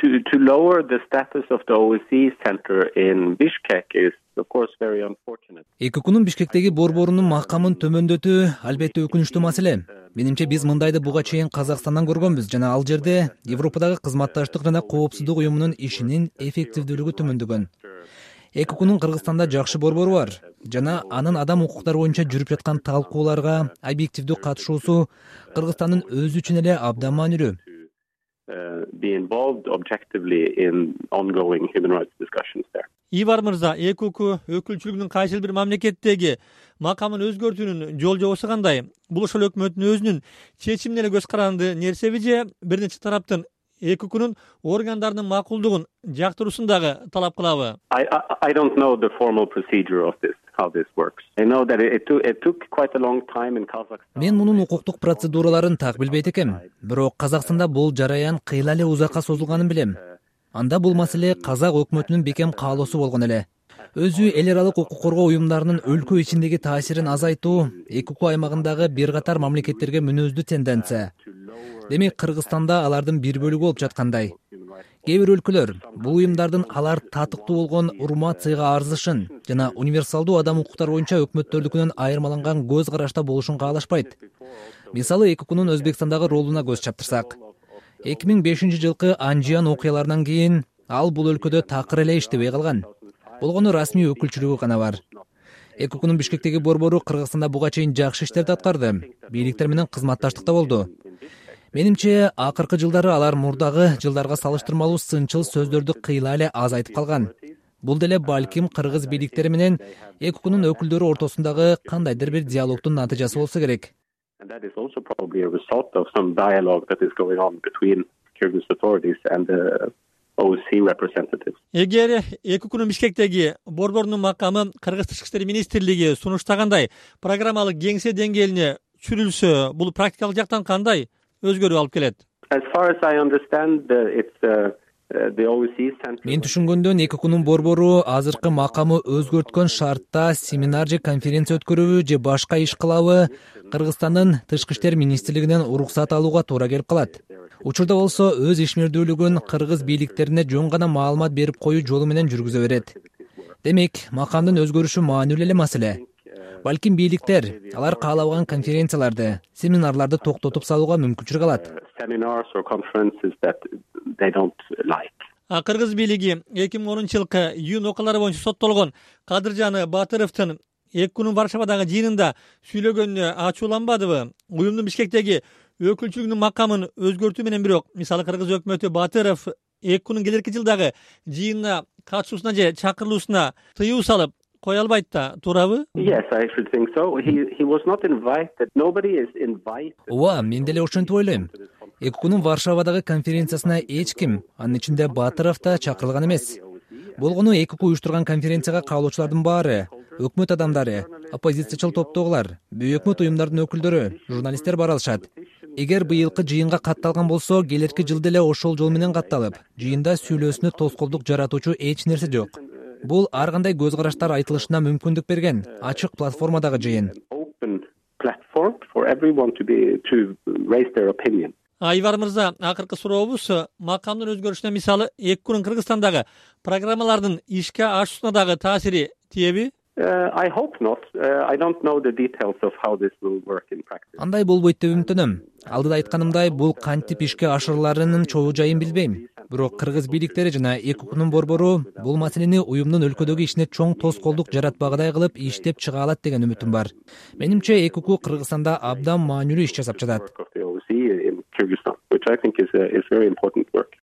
To lower the status of the OSCE center in Bishkek is of course very unfortunate. ЭККнун Бишкектеги борборунун макамын төмөндөтүү албетте өкүнүчтүү маселе. Менимче биз мындайды буга чейин Казакстандан көргөнбүз жана ал жерде Европадагы кызматташтык жана коопсуздук уюмунун ишинин эффективдүүлүгү төмөндөгөн. ЭККнун Кыргызстанда жакшы борбору бар жана анын адам укуктары боюнча жүрүп жаткан талкууларга объективдүү катышуусу Кыргызстандын өзү үчүн эле абдан маанилүү. Be involved objectively in ongoing human rights discussions there. Ивар мырза, ЭКК өкүлчүлүгүнүн кайсыл бир мамлекеттеги макамын өзгөртүүнүн жол жобосу кандай? Бул ошол өкмөттүн өзүнүн чечимине эле көз каранды нерсеби же бир нече тараптын ЭККнун органдарынын макулдугун жактыруусун дагы талап кылабы? I don't know the formal procedure of this, how this works. I know that it took quite a long time in Kazakhstan. Мен мунун укуктук процедураларын так билбейт экем. Бирок Казакстанда бул жараян кыйла эле узакка созулганын билем. Анда бул маселе казак өкмөтүнүн бекем каалоосу болгон эле. Өзү эл аралык укук коргоо уюмдарынын өлкө ичиндеги таасирин азайтуу ЭКК аймагындагы бир катар мамлекеттерге мүнөздүү тенденция. Демек Кыргызстанда алардын бир бөлүгү болуп жаткандай. Кээ бир өлкөлөр бул уюмдардын алар татыктуу болгон урмат-сыйга арзышын жана универсалдуу адам укуктары боюнча өкмөттөрдүкүнөн айырмаланган көз карашта болушун каалашпайт. Мисалы ЭККнун Өзбекстандагы ролуна көз чаптырсак, 2005 жылкы Анжиан окуяларынан кийин ал бул өлкөдө такыр эле иштебей калган. Болгону расмий өкүлчүлүгү гана бар. ЭККнун Бишкектеги борбору Кыргызстанда буга чейин жакшы иштерди аткарды. Бийликтер менен кызматташтыкта болду. Менимче, акыркы жылдары алар мурдагы жылдарга салыштырмалуу сынчыл сөздөрдү кыйла эле аз айтып калган. Бул деле балким кыргыз бийликтери менен ЭККнун өкүлдөрү ортосундагы кандайдыр бир диалогдун натыйжасы болсо керек. And that is also probably a result of some dialogue that is going on between Kyrgyz authorities and the OSCE representatives. Эгер ЭККнун Бишкектеги борборунун макамы Кыргыз Тышкы иштер министрлиги сунуштагандай программалык кеңсе деңгээлине түшүрүлсө, бул практикалык жактан кандай өзгөрүү алып келет? As far as I understand, it's the OSCE center. Мен түшүнгөндөн ЭККнун борбору азыркы макамы өзгөрткөн шартта семинар же конференция өткөрүүбү же башка иш кылабы Кыргызстандын Тышкы иштер министрлигинен уруксат алууга туура келип калат. Учурда болсо өз ишмердүүлүгүн кыргыз бийликтерине жөн гана маалымат берип коюу жолу менен жүргүзө берет. Демек, макамдын өзгөрүшү маанилүү эле маселе. Балким бийликтер алар каалабаган конференцияларды, семинарларды токтотуп салууга мүмкүнчүлүк алат. Seminars or conferences that they don't like. Кыргыз бийлиги 2010 жылкы июнь окуялары боюнча соттолгон Кадыржан Батыровдун ЭККнун Варшавадагы жыйынында сүйлөгөнүнө ачууланбадыбы? Уюмдун Бишкектеги өкүлчүлүгүнүн макамын өзгөртүү менен бирок, мисалы Кыргыз өкмөтү Батыров ЭККнун келерки жылдагы жыйынына катышуусуна же чакырылуусуна тыюу салып кое албайт да, туурабы? Yes, I should think so. He was not invited. Nobody is invited. Ооба, мен деле ошентип ойлойм. ЭККнун Варшавадагы конференциясына эч ким, анын ичинде Батыров да чакырылган эмес. Болгону ЭКК уюштурган конференцияга каалоочулардын баары өкмөт адамдары, оппозициячыл топтогулар, бейөкмөт уюмдардын өкүлдөрү, журналисттер бара алышат. Эгер быйылкы жыйынга катталган болсо, келерки жылда эле ошол жол менен катталып, жыйында сүйлөөсүнө тоскоолдук жаратуучу эч нерсе жок. Бул ар кандай көз караштар айтылышына мүмкүндүк берген ачык платформадагы жыйын. Open platform for everyone to raise their opinion. Айвар мырза, акыркы сурообуз макамдын өзгөрүшүнө мисалы ЭККнун Кыргызстандагы программалардын ишке ашуусуна дагы таасири тиеби? I hope not. I don't know the details of how this will work in practice. Андай болбойт деп үмүттөнөм. Алдыда айтканымдай, бул кантип ишке ашырыларынын чогуу жайын билбейм. Бирок кыргыз бийликтери жана ЭККнун борбору бул маселени уюмдун өлкөдөгү ишине чоң тоскоолдук жаратпагыдай кылып иштеп чыга алат деген үмүтүм бар. Менимче ЭКК Кыргызстанда абдан маанилүү иш жасап жатат. Work of the OSCE in Kyrgyzstan, which I think is very important work.